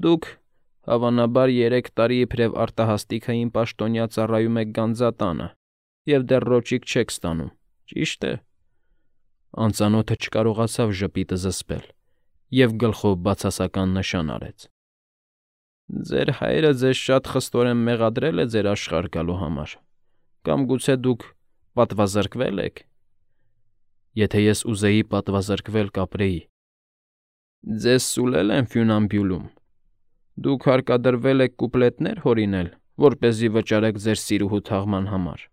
Դուք, հավանաբար, 3 տարի իբրև արտահասթիկային պաշտոնյա ծառայում եք գանձատանը և դեռ ռոճիկ չեք ստանում, ճի՞շտ է… Անծանոթը չկարողացավ ժպիտը զսպել և գլխով բացասական նշան արեց։ ֊ Ձեր հայրը ձեզ շատ խստորեն մեղադրել է ձեր աշխարհ գալու համար, կամ գուցե դուք պատվազրկվե՞լ եք։ Եթե ես ուզեի պատվազրկվել, կապրեի։ Ձեզ սուլել են Ֆյունամբյուլում։ Դուք հարկադրվել եք կուպլետներ հորինել, որպեսզի վճարեք ձեր սիրուհու թաղման համար։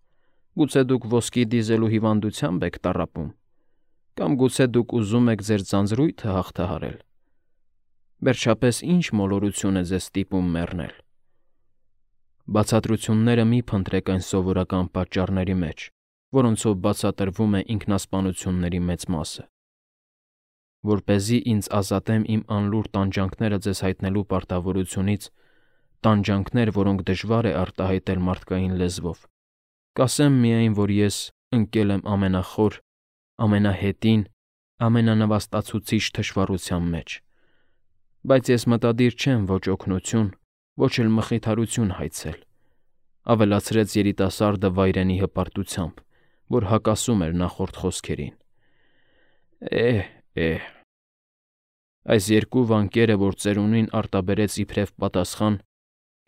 Գուցե դուք ոսկի դիզելու հիվանդությամբ եք տառապում, կամ գուցե դուք ուզում եք ձեր ձանձրույթը հաղթահարել։ Վերջապես ի՞նչ մոլորություն է ձեզ ստիպում մեռնել։ Բացատրությունները մի փնտրեք այն սովորական պատճառների մեջ, որոնցով բացատրվում է ինքնասպանությունների մեծ մասը։ Որպեսզի ինձ ազատեմ իմ անլուր տանջանքները ձեզ հայտնելու պարտավորությունից, տանջանքներ, որոնք դժվար է արտահայտել մարդկային լեզվով, կասեմ միայն, որ ես ընկել եմ ամենախոր, ամենահետին, ամենանվաստացուցիչ թշվառության մեջ, բայց ես մտադիր չեմ ոչ օգնություն, ոչ էլ մխիթարություն հայցել, ավելացրեց երիտասարդը վայրենի հպարտությամբ, որ հակասում էր նախորդ խոսքերին։ Էհ… Այս երկու վանկերը, որ ծերունին արտաբերեց իբրև պատասխան,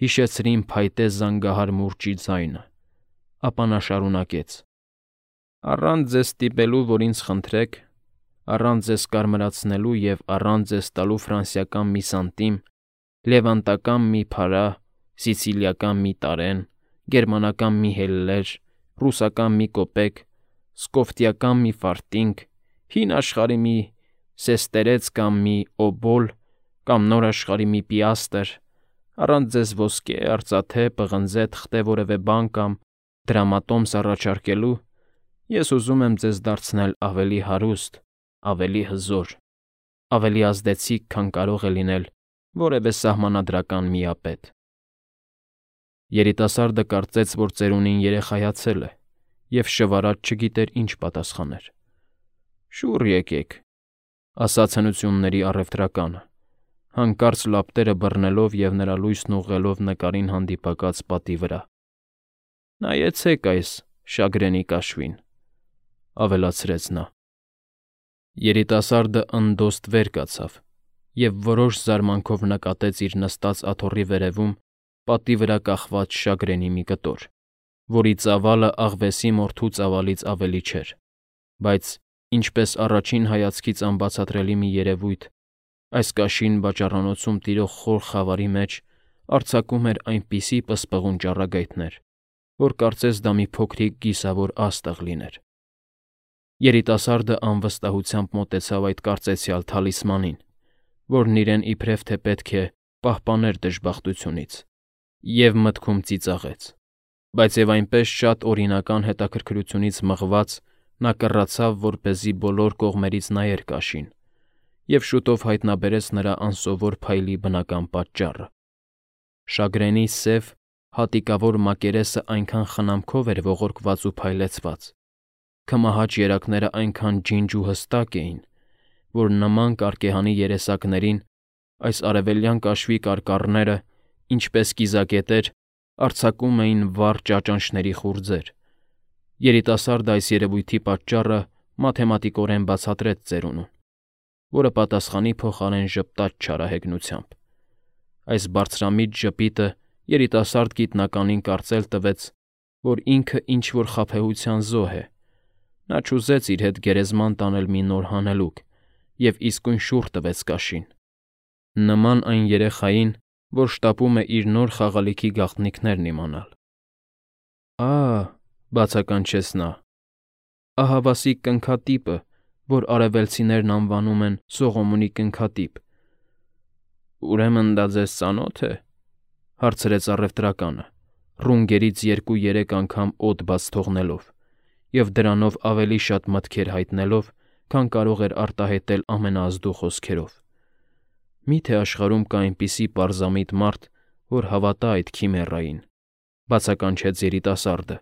հիշեցրին փայտե զանգահար մուրճի ձայնը, ապա նա շարունակեց. Առանց ձեզ ստիպելու, որ ինձ խնդրեք, առանց ձեզ կարմրացնելու և առանց ձեզ տալու ֆրանսիական մի սանտիմ, լևանտական մի փարա, սիցիլիական մի տարեն, գերմանական մի հելլեր, ռուսական մի կոպեկ, սկոֆտիական մի ֆարտինգ, հին աշխարհի մի սեստերեց կամ մի օբոլ, կամ նոր աշխարհի մի պիաստր, առանց ձեզ ոսկե, արծաթե, պղնձե, թղթե որևէ բան կամ դրամատոմս առաջարկելու, ես ուզում եմ ձեզ դարձնել ավելի հարուստ, ավելի հզոր, ավելի ազդեցիկ, քան կարող է լինել որևէ սահմանադրական միապետ։ Երիտասարդը կարծեց, որ ծերունին երեխայացել է, և շվարած չգիտեր ինչ պատասխաներ։ Շուռ եկեք, ասաց հնությունների առևտրականը, հանկարծ լապտերը բռնելով և նրա լույսն ուղղելով նկարին հանդիպակաց պատի վրա։ Նայեցեք այս շագրենի կաշվին, ավելացրեց նա։ Երիտասարդը ընդոստ վեր կացավ և որոշ զարմանքով նկատեց իր նստած աթոռի վերևում պատի վրա կախված շագրենի մի կտոր, որի ծավալը աղվեսի մորթու ծավալից ավելի չէր, բայց, ինչպես առաջին հայացքից անբացատրելի մի երևույթ, այս կաշին վաճառանոցում տիրող խոր խավարի մեջ արձակում էր այնպիսի պսպղուն ճառագայթներ, որ կարծես դա մի փոքրիկ կիսավոր աստղ լիներ։ Երիտասարդը անվստահությամբ մոտեցավ այդ կարծեցյալ թալիսմանին, որն իրեն իբրև թե պետք է պահպաներ դժբախտությունից, և մտքում ծիծաղեց, բայց և այնպես շատ օրինական հետաքրքրությունից մղված նա կռացավ, որպեսզի բոլոր կողմերից նայեր կաշին, և շուտով հայտնաբերեց նրա անսովոր փայլի բնական պատճառը։ Շագրենի սև, հատիկավոր մակերեսը այնքան խնամքով էր ողորկված ու փայլեցված, քմահաճ երակները այնքան ջինջ ու հստակ էին, որ նման կարկեհանի երեսակներին այս արևելյան կաշվի կարկառները, ինչպես կիզակետեր, արձակում էին վառ ճաճանճների խուրձեր։ Երիտասարդը այս երևույթի պատճառը մաթեմատիկորեն բացատրեց ծերունուն, որը պատասխանի փոխարեն ժպտաց չարահեգնությամբ։ Այս բարձրամիտ ժպիտը երիտասարդ գիտնականին կարծել տվեց, որ ինքը ինչ-որ խաբեության զոհ է։ Նա չուզեց իր հետ գերեզման տանել մի նոր հանելուկ և իսկույն շուռ տվեց կաշին, նման այն երեխային, որ շտապում է իր նոր խաղալիքի գաղտնիքներն իմանալ։ Բացականչեց նա, ահավասիկ կնքատիպը, որ արևելցիներն անվանում են Սողոմոնի կնքատիպ։ Ուրեմն դա ձեզ ծանո՞թ է, հարցրեց առևտրականը, ռունգերից 2-3 անգամ օդ բաց թողնելով և դրանով ավելի շատ մտքեր հայտնելով, քան կարող էր արտահայտել ամենաազդու խոսքերով։ Մի՞թե աշխարհում կա այնպիսի պարզամիտ մարդ, որ հավատա այդ քիմերային, բացականչեց երիտասարդը,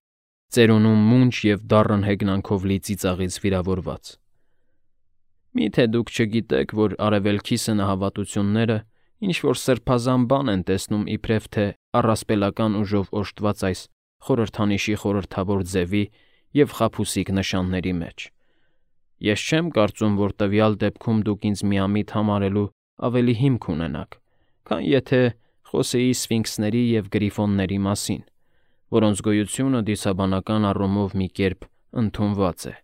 ծերունուն մունջ և դառն հեգնանքով լի ծիծաղից վիրավորված։ Մի՞թե դուք չգիտեք, որ արևելքի սնահավատությունները, ինչ-որ սրբազան բան են տեսնում իբրև թե առասպելական ուժով օժտված այս խորհրդանիշի խորհրդավոր ձևի և խաբուսիկ նշանների մեջ։ Ես չեմ կարծում, որ տվյալ դեպքում դուք ինձ միամիտ համարելու ավելի հիմք ունենաք, քան եթե խոսեի սֆինքսների և գրիֆոնների մասին, որոնց գոյությունը դիցաբանական առումով մի կերպ ընդունված է։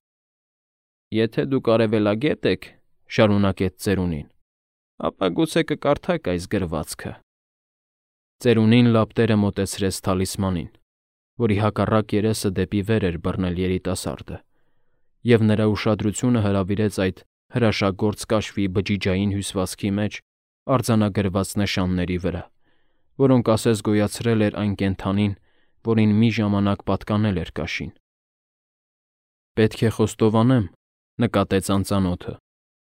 Եթե դուք արևելագետ եք, շարունակեց ծերունին, ապա գուցե կկարդաք այս գրվածքը։ Ծերունին լապտերը մոտեցրեց թալիսմանին, որի հակառակ երեսը դեպի վեր էր բռնել երիտասարդը, և նրա ուշադրությունը հրավիրեց այդ հրաշագործ կաշվի բջիջային հյուսվածքի մեջ արձանագրված նշանների վրա, որոնք ասես գոյացրել էր այն կենդանին, որին մի ժամանակ պատկանել էր կաշին։ Պետք է խոստովանեմ, նկատեց անծանոթը,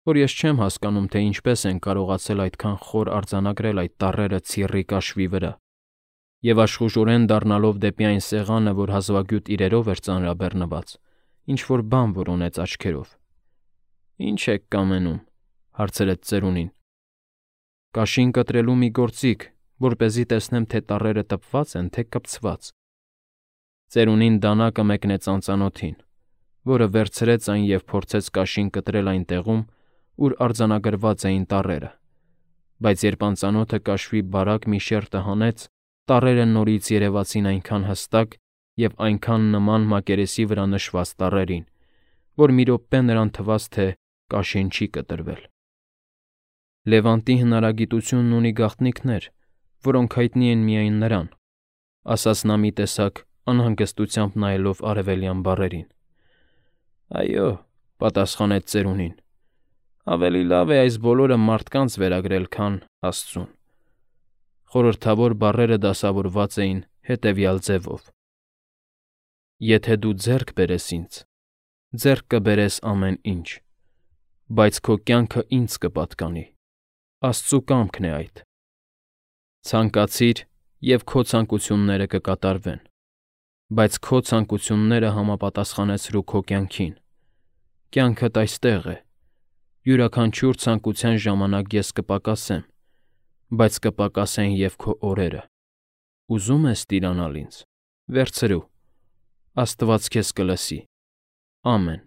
որ ես չեմ հասկանում, թե ինչպես են կարողացել այդքան խոր արձանագրել այդ տառերը ցիրռի կաշվի վրա, և աշխուժորեն դառնալով դեպի այն սեղանը, որ հազվագյուտ իրերով էր ծանրաբեռնված, ինչ-որ բան որոնեց աչքերով։ Ինչ եք կամենում, հարցրեց ծերունին։ Կաշին կտրելու մի գործիք, որպեսզի տեսնեմ, թե տառերը տպված են, թե կպցված։ Ծերունին դանակը մեկնեց անծանոթին, որը վերցրեց այն և փորձեց կաշին կտրել այն տեղում, ուր արձանագրված էին տառերը, բայց երբ անծանոթը կաշվի բարակ մի շերտը հանեց, տառերը նորից երևացին այնքան հստակ և այնքան նման մակերեսի վրա նշված տառերին, որ մի րոպե նրան թվաց, թե կաշին չի կտրվել։ Լևանտի հնարագիտությունն ունի գաղտնիքներ, որոնք հայտնի են միայն նրան, ասաց նա մի տեսակ անհանգստությամբ նայելով արևելյան բառերին։ Այո, պատասխանեց ծերունին, ավելի լավ է այս բոլորը մարդկանց վերագրել, քան Աստծուն։ Խորհրդավոր բառերը դասավորված էին հետևյալ ձևով. Եթե դու ձեռք բերես ինձ, ձեռք կբերես ամեն ինչ, բայց քո կյանքը ինձ կպատկանի, Աստծու կամքն է այդ։ Ցանկացիր, և քո ցանկությունները կկատարվեն, բայց քո ցանկությունները համապատասխանեցրու քո կյանքին։ Կյանքդ այստեղ է, յուրաքանչյուր ցանկության ժամանակ ես կպակասեմ, բայց կպակասեն և քո օրերը։ Ուզում ես տիրանալ ինձ, վերցրու, Աստված քեզ կլսի։ Ամեն։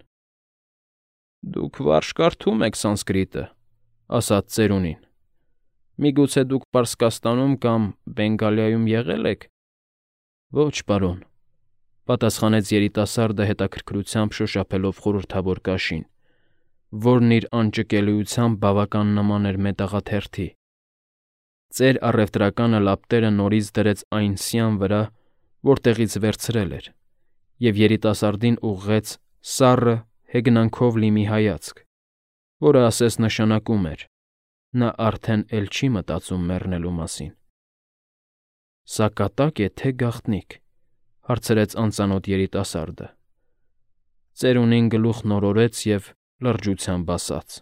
Դուք վարժ կարդում եք սանսկրիտը, ասաց ծերունին։ Միգուցե դուք Պարսկաստանում կամ Բենգալիայում եղել եք։ Ոչ, պարոն, պատասխանեց երիտասարդը հետաքրքրությամբ շոշափելով խորհրդավոր կաշին, որն իր անճկելիությամբ բավական նման էր մետաղաթերթի։ Ծեր առևտրականը լապտերը նորից դրեց այն սյան վրա, որտեղից վերցրել էր, և երիտասարդին ուղղեց սառը, հեգնանքով լի մի հայացք, որը ասես նշանակում էր. նա արդեն էլ չի մտածում մեռնելու մասին։ Սա կատակ է, թե գաղտնիք, հարցրեց անծանոթ երիտասարդը։ Ծերունին գլուխ նորորեց և լրջությամբ ասաց.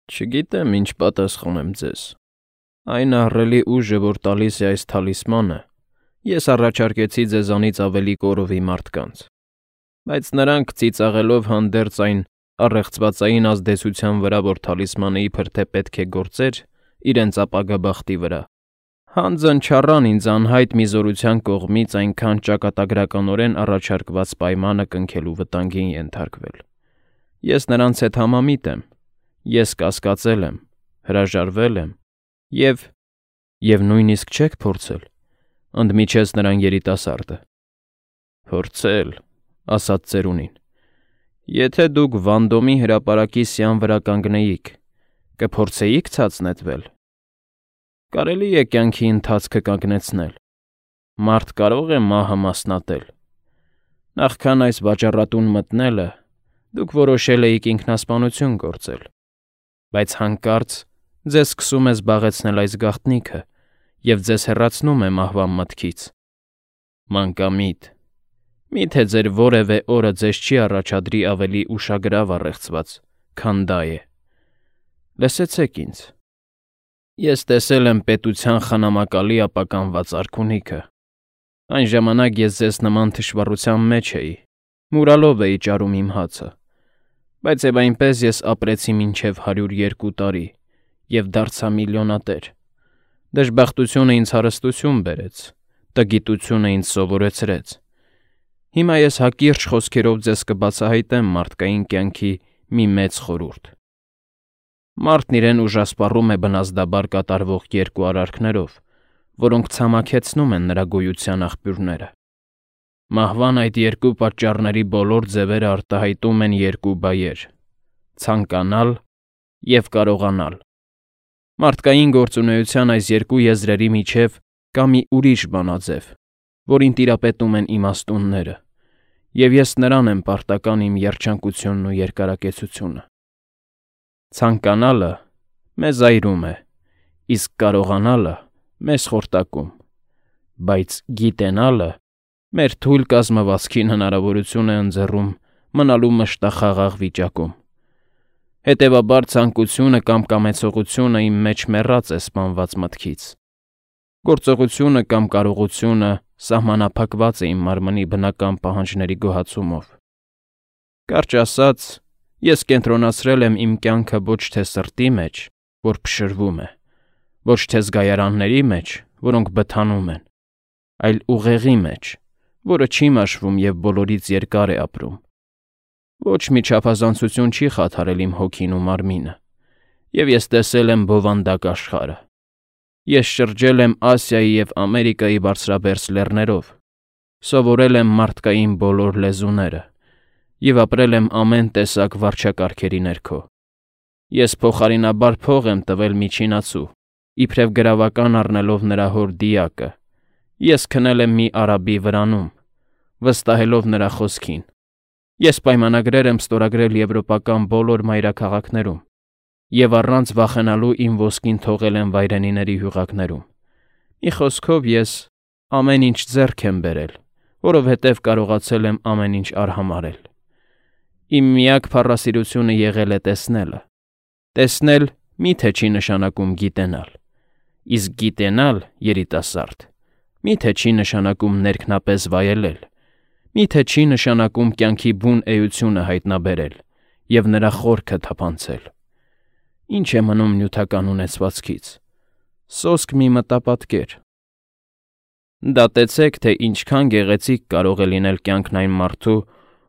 Չգիտեմ, ինչ պատասխանեմ ձեզ։ Այն ահռելի ուժը, որ տալիս է այս թալիսմանը, ես առաջարկեցի ձեզանից ավելի կորովի մարդկանց, բայց նրանք ծիծաղելով հանդերձ այն առեղծվածային ազդեցության վրա, որ թալիսմանը իբր թե պետք է գործեր իրենց ապագա բախտի վրա, հանձն չառան ինձ անհայտ մի զորության կողմից այնքան ճակատագրականորեն առաջարկված պայմանը կնքելու վտանգին ենթարկվել։ Ես նրանց հետ համամիտ եմ, ես կասկածել եմ, հրաժարվել եմ, և նույնիսկ չեք փորձել, ընդմիջեց նրան երիտասարդը։ Փորձել, ասաց ծերունին։ Եթե դուք Վանդոմի հրապարակի սյան վրա կանգնեիք, կփորձեիք ցած նետվել։ Կարելի է կյանքի ընթացքը կանգնեցնել։ Մարդ կարող է մահը մասնատել։ Նախքան այս վաճառատուն մտնելը, դուք որոշել էիք ինքնասպանություն գործել, բայց հանկարծ ձեզ սկսում է զբաղեցնել այս գաղտնիքը և ձեզ հեռացնում է մահվան մտքից։ Մանկամիտ, միթե ձեր որևէ օրը ձեզ չի առաջադրի ավելի ուշագրավ առեղծված, քան դա է։ Լսեցեք ինձ։ Ես տեսել եմ պետության խնամակալի ապականված արքունիքը։ Այն ժամանակ ես ձեզ նման թշվառության մեջ էի, մուրալով էի ճարում իմ հացը, բայց և այնպես ես ապրեցի մինչև 102 տարի և դարձա միլիոնատեր։ Դժբախտությունը ինձ հարստություն բերեց, տգիտությունը ինձ սովորեցրեց։ Հիմա ես հակիրճ խոսքերով ձեզ կբացահայտեմ մարդկային կյանքի մի մեծ խորհուրդ։ Մարդն իրեն ուժասպառում է բնազդաբար կատարվող երկու արարքներով, որոնք ցամաքեցնում են նրա գոյության աղբյուրները։ Մահվան այդ երկու պատճառների բոլոր ձևերը արտահայտում են երկու բայեր՝ ցանկանալ և կարողանալ։ Մարդկային գործունեության այս երկու եզրերի միջև կա մի ուրիշ բանաձև, որին տիրապետում են իմաստունները, և ես նրան եմ պարտական իմ երջանկությունն ու երկարակեցությունը։ Ցանկանալը մեզ այրում է, իսկ կարողանալը մեզ խորտակում, բայց գիտենալը մեր թույլ կազմվածքին հնարավորություն է ընձեռում մնալու մշտախաղաղ վիճակում։ Հետևաբար ցանկությունը կամ կամեցողությունը իմ մեջ մեռած է սպանված մտքից։ Գործողությունը կամ կարողությունը սահմանափակված է իմ մարմնի բնական պահանջների գոհացումով։ Կարճ ասած, ես կենտրոնացրել եմ իմ կյանքը ոչ թե սրտի մեջ, որ փշրվում է, ոչ թե զգայարանների մեջ, որոնք բթանում են, այլ ուղեղի մեջ, որը չի մաշվում և բոլորից երկար է ապրում։ Ոչ մի չափազանցություն չի խաթարել իմ հոգին ու մարմինը, և ես տեսել եմ բովանդակ աշխարհը։ Ես շրջել եմ Ասիայի և Ամերիկայի բարձրաբերձ լեռներով, սովորել եմ մարդկային բոլոր լեզուները և ապրել եմ ամեն տեսակ վարչակարգերի ներքո։ Ես փոխարինաբար փող եմ տվել միջինացու, իբրև գրավական առնելով նրա հոր դիակը։ Ես քնել եմ մի արաբի վրանում, վստահելով նրա խոսքին։ Ես պայմանագրեր եմ ստորագրել եվրոպական բոլոր մայրաքաղաքներում և առանց վախենալու իմ ոսկին թողել եմ վայրենիների հյուղակներում։ Մի խոսքով ես ամեն ինչ ձեռք եմ բերել, որովհետև կարողացել եմ ամեն ինչ արհամարհել։ Իմ միակ փառասիրությունը եղել է տեսնելը։ Տեսնել միթե չի նշանակում գիտենալ, իսկ գիտենալ, երիտասարդ, միթե չի նշանակում ներքնապես վայելել, միթե չի նշանակում կյանքի բուն էությունը հայտնաբերել և նրա խորքը թափանցել։ Ինչ է մնում նյութական ունեցվածքից։ Սոսկ մի մտապատկեր։ Դատեցեք, թե ինչքան գեղեցիկ կարող է լինել կյանքն այն մարդու,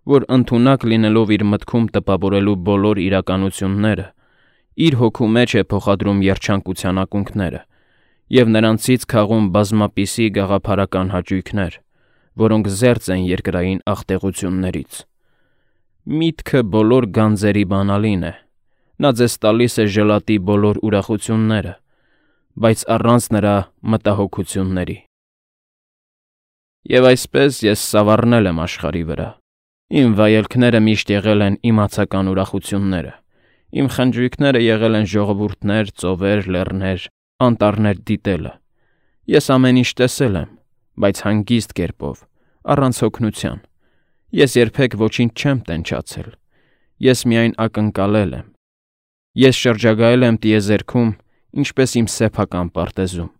որ ընդունակ լինելով իր մտքում տպավորելու բոլոր իրականությունները, իր հոգու մեջ է փոխադրում երջանկության ակունքները և նրանցից քաղում բազմապիսի գաղափարական հաճույքներ, որոնք զերծ են երկրային աղտեղություններից։ Միտքը բոլոր գանձերի բանալին է, նա ձեզ տալիս է ժլատի բոլոր ուրախությունները, բայց առանց նրա մտահոգությունների։ Եվ այսպես ես սավառնել եմ աշխարհի վրա։ Իմ վայելքները միշտ եղել են իմացական ուրախությունները, իմ խնջույքները եղել են ժողովուրդներ, ծովեր, լեռներ, անտառներ դիտելը։ Ես ամեն ինչ տեսել եմ, բայց հանգիստ կերպով, առանց հոգնության։ Ես երբեք ոչինչ չեմ տենչացել։ Ես միայն ակնկալել եմ։ Ես շրջագայել եմ տիեզերքում, ինչպես իմ սեփական պարտեզում։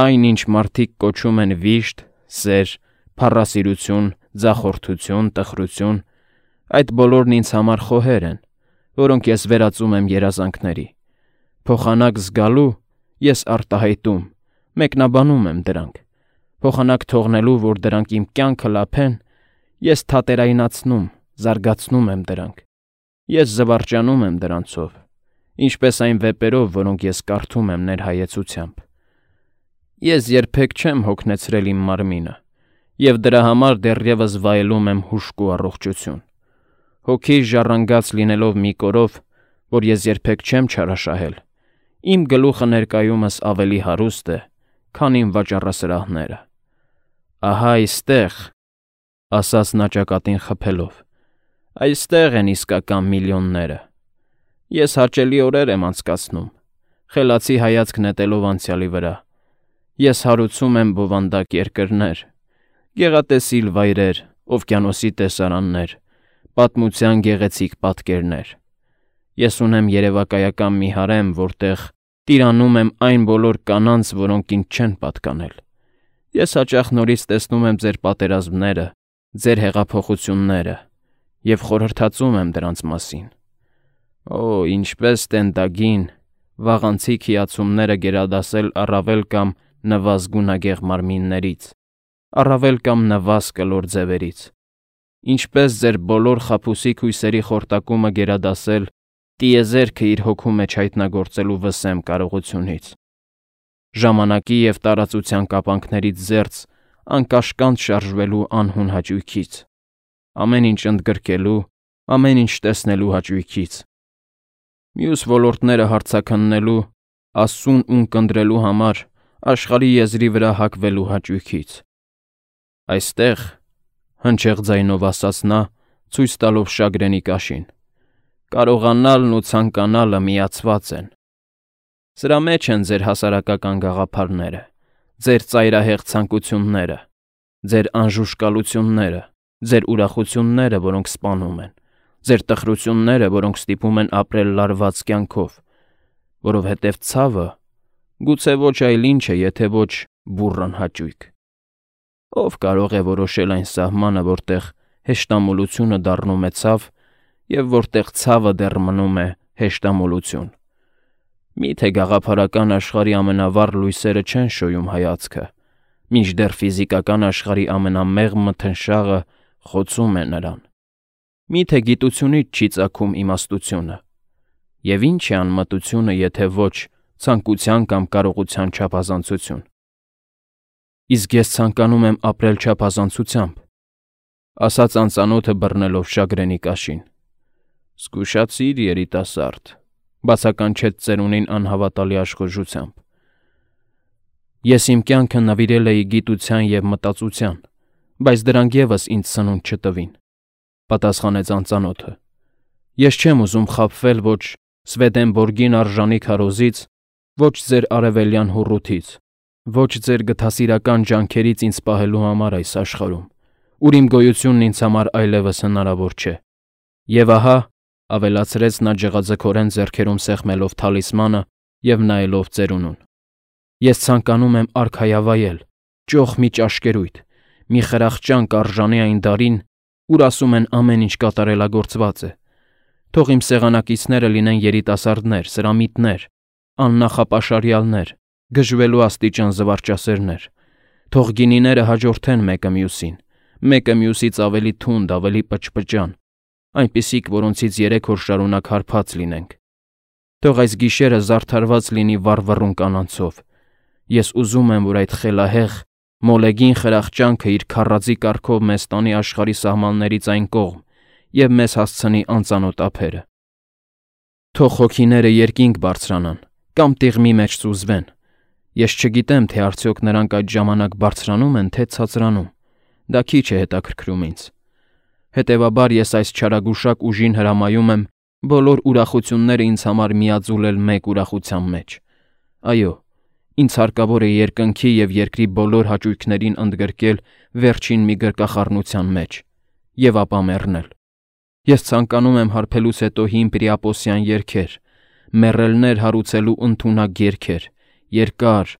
Այն, ինչ մարդիկ կոչում են վիշտ, սեր, փառասիրություն, ձախորդություն, տխրություն, այդ բոլորն ինձ համար խոհեր են, որոնք ես վերածում եմ երազանքների։ Փոխանակ զգալու ես արտահայտում, մեկնաբանում եմ դրանք։ Փոխանակ թողնելու, որ դրանք իմ կյանքը լափեն, ես թատերայնացնում, զարգացնում եմ դրանք։ Ես զվարճանում եմ դրանցով, ինչպես այն վեպերով, որոնք ես կարդում եմ ներհայեցությամբ։ Ես երբեք չեմ հոգնեցրել իմ մարմինը, և դրա համար դեռևս վայելում եմ հուժկու առողջություն։ Հոգի ժառանգած լինելով մի կորով, որ ես երբեք չեմ չարաշահել, իմ գլուխը ներկայումս ավելի հարուստ է, քան իմ վաճառասրահները։ Ահա այստեղ, ասաց նա ճակատին խփելով, այստեղ են իսկական միլիոնները։ Ես հաճելի օրեր եմ անցկացնում, խելացի հայացք նետելով անցյալի վրա։ Ես հարուցում եմ բովանդակ երկրներ, գեղատեսիլ վայրեր, օվկիանոսի տեսարաններ, պատմության գեղեցիկ պատկերներ։ Ես ունեմ երևակայական մի հարեմ, որտեղ տիրանում եմ այն բոլոր կանանց, որոնք ինձ չեն պատկանել։ Ես հաճախ նորից տեսնում եմ ձեր պատերազմները, ձեր հեղափոխությունները և խորհրդածում եմ դրանց մասին։ Օ, ինչպես տենտագին, վաղանցիկ հիացումները գերադասել առավել կամ նվազ գունագեղ մարմիններից, առավել կամ նվազ կլոր ձևերից, ինչպես ձեր բոլոր խաբուսիկ հույսերի խորտակումը գերադասել տիեզերքը իր հոգու մեջ հայտնագործելու վսեմ կարողությունից, ժամանակի և տարածության կապանքներից զերծ անկաշկանդ շարժվելու անհուն հաճույքից, ամեն ինչ ընդգրկելու, ամեն ինչ տեսնելու հաճույքից, մյուս ոլորտները հարցաքննելու, Աստծուն ունկնդրելու համար աշխարհի եզրի վրա հակվելու հաճույքից։ Այստեղ, հնչեղ ձայնով ասաց նա, ցույց տալով Շագրենի կաշին, կարողանալն ու ցանկանալը միացված են։ Սրա մեջ են ձեր հասարակական գաղափարները, ձեր ծայրահեղ ցանկությունները, ձեր անժուշկալությունները, ձեր ուրախությունները, որոնք սպանում են, ձեր տխրությունները, որոնք ստիպում են ապրել լարված կյանքով, որովհետև ցավը գուցե ոչ այլ ինչ է, եթե ոչ բուռն հաճույք։ Ով կարող է որոշել այն սահմանը, որտեղ հեշտամոլությունը դառնում է ցավ և որտեղ ցավը դեռ մնում է հեշտամոլություն։ Միթե գաղափարական աշխարհի ամենավառ լույսերը չեն շոյում հայացքը, մինչդեռ ֆիզիկական աշխարհի ամենամեղմ մթնշաղը խոցում է նրան։ Միթե գիտությունից չի ծագում իմաստությունը։ Եվ ինչ է անմտությունը, եթե ոչ ցանկության կամ կարողության չափազանցություն։ Իսկ ես ցանկանում եմ ապրել չափազանցությամբ, ասաց անծանոթը բռնելով Շագրենի կաշին։ Զգուշացիր, երիտասարդ, բացականչեց ծերունին անհավատալի աշխուժությամբ։ Ես իմ կյանքը նվիրել էի գիտության և մտածության, բայց դրանք ևս ինձ սնունդ չտվին, պատասխանեց անծանոթը։ Ես չեմ ուզում խաբվել ոչ Սվեդենբորգին արժանի քարոզից, ոչ ձեր արևելյան հուռութից, ոչ ձեր գթասիրական ջանքերից ինձ պահելու համար այս աշխարհում, ուր իմ գոյությունն ինձ համար այլևս հնարավոր չէ։ Եվ ահա, ավելացրեց նա ջղաձգորեն ձեռքերում սեղմելով թալիսմանը և նայելով ծերունուն, ես ցանկանում եմ արքայավայել, ճոխ մի ճաշկերույթ, մի խրախճանք արժանի այն դարին, ուր ասում են ամեն ինչ կատարելագործված է։ Թող իմ սեղանակիցները լինեն երիտասարդներ, սրամիտներ, աննախապաշարյալներ, գժվելու աստիճան զվարճասերներ։ Թող գինիները հաջորդեն մեկը մյուսից ավելի թունդ, ավելի պճպճան, այնպիսիք, որոնցից 3 օր շարունակ հարբած լինենք։ Թող այս գիշերը զարդարված լինի վառվռուն կանանցով։ Ես ուզում եմ, որ այդ խելահեղ, մոլեգին խրախճանքը իր քառածի կարգով մեզ տանի աշխարհի սահմաններից այն կողմ և մեզ հասցնի անծանոթ ափերը։ Թող հոգիները երկինք բարձրանան կամ տիղմի մեջ սուզվեն։ Ես չգիտեմ, թե արդյոք նրանք այդ ժամանակ բարձրանում են, թե ցածրանում։ Դա քիչ է հետաքրքրում ինձ։ Հետևաբար ես այս չարագուշակ ուժին հրամայում եմ բոլոր ուրախությունները ինձ համար միաձուլել մեկ ուրախության մեջ։ Այո, ինձ հարկավոր է երկնքի և երկրի բոլոր հաճույքներին ընդգրկել վերջին մի գրկախառնության մեջ և ապա մեռնել։ Ես ցանկանում եմ հարբելուց հետո հին պրիապոսյան երգեր, մեռելներ հարուցելու ընդունակ երգեր, երկար,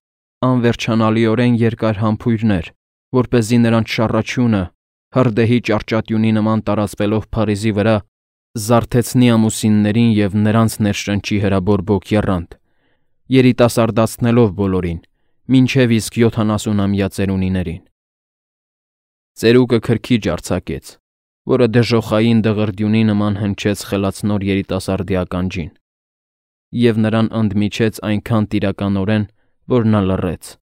անվերջանալիորեն երկար համբույրներ, որպեսզի նրանց շառաչյունը, հրդեհի ճարճատյունի նման տարածվելով Փարիզի վրա, զարթեցնի ամուսիններին և նրանց ներշնչի հրաբորբոք եռանդ, երիտասարդացնելով բոլորին, մինչև իսկ 70-ամյա ծերունիներին։ Ծերուկը քրքիջ արձակեց, որը դժոխային դղրդյունի նման հնչեց խելացնոր երիտասարդի ականջին, և նրան ընդմիջեց այնքան տիրականորեն, որ նա լռեց։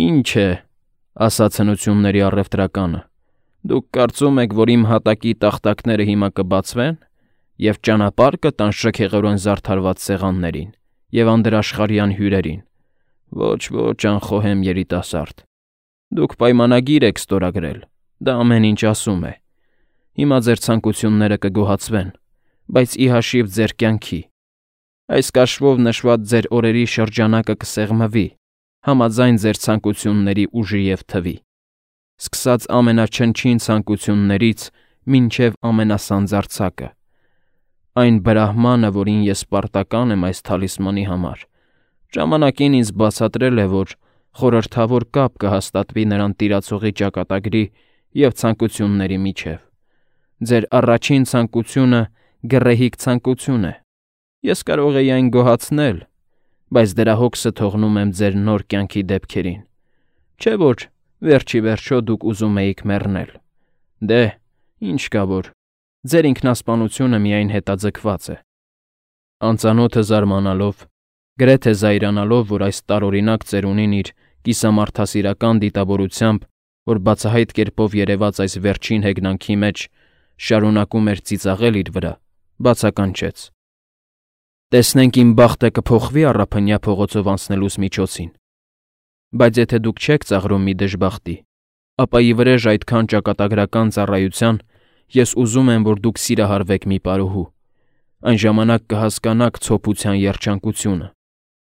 Ինչ է, ասաց հնությունների առևտրականը, դուք կարծում եք, որ իմ հատակի տախտակները հիմա կբացվեն և ճանապարհ կտան շքեղորեն զարդարված սեղաններին և անդրաշխարհյան հյուրերին։ Ոչ, անխոհեմ երիտասարդ, դուք պայմանագիր եք ստորագրել, դա ամեն ինչ ասում է։ Հիմա ձեր ցանկությունները կգոհացվեն, բայց ի հաշիվ ձեր կյանքի։ Այս կաշվով նշված ձեր օրերի շրջանակը կսեղմվի, համաձայն ձեր ցանկությունների ուժի և թվի, սկսած ամենաչնչին ցանկություններից մինչև ամենասանձարձակը։ Այն բրահմանը, որին ես պարտական եմ այս թալիսմանի համար, ժամանակին ինձ բացատրել է, որ խորհրդավոր կապ կհաստատվի նրան տիրացողի ճակատագրի և ցանկությունների միջև։ Ձեր առաջին ցանկությունը գռեհիկ ցանկություն է, Ես կարող էի այն գոհացնել, բայց դրա հոգսը թողնում եմ ձեր նոր կյանքի դեպքերին։ Չէ՞ որ վերջի վերջո դուք ուզում էիք մեռնել։ Դե, ինչ կա որ, ձեր ինքնասպանությունը միայն հետաձգված է։ Անծանոթը զարմանալով, գրեթե զայրանալով, որ այս տարօրինակ ծերունին իր կիսամարդասիրական դիտավորությամբ, որ բացահայտ կերպով երևաց այս վերջին հեգնանքի մեջ, շարունակում էր ծիծաղել իր վրա, բացականչեց. «Տեսնենք իմ բախտը կփոխվի առափնյա փողոցով անցնելուս միջոցին։ Բայց եթե դուք չեք ծաղրում մի դժբախտի, ապա ի վրեժ այդքան ճակատագրական ծառայության ես ուզում եմ, որ դուք սիրահարվեք մի պարուհու, այն ժամանակ կհասկանաք ցոփության երջանկությունը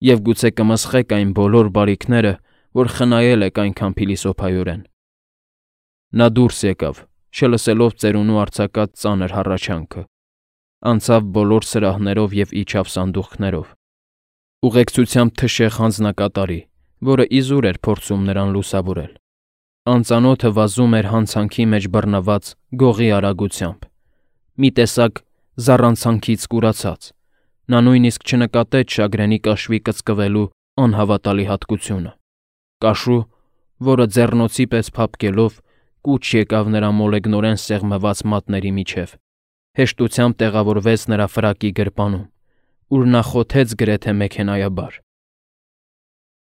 և գուցե կմսխեք այն բոլոր բարիքները, որ խնայել եք այնքան փիլիսոփայորեն»։ Նա դուրս եկավ, չլսելով ծերունու արձակած ծանր հառաչանքը, անցավ բոլոր սրահներով և իջավ սանդուղքներով, ուղեկցությամբ թշեղ հանձնակատարի, որը իզուր էր փորձում նրան լուսավորել։ Անծանոթը վազում էր հանցանքի մեջ բռնված գողի արագությամբ, մի տեսակ զառանցանքից կուրացած։ Նա նույնիսկ չնկատեց շագրենի կաշվի կծկվելու անհավատալի հատկությունը։ Կաշու, որը ձեռնոցի պես փափկելով կուչ եկավ նրա մոլեգնորեն սեղմված մատների միջև, հեշտությամբ տեղավորվեց նրա ֆրակի գրպանում, ուր նա խոթեց գրեթե մեքենայաբար։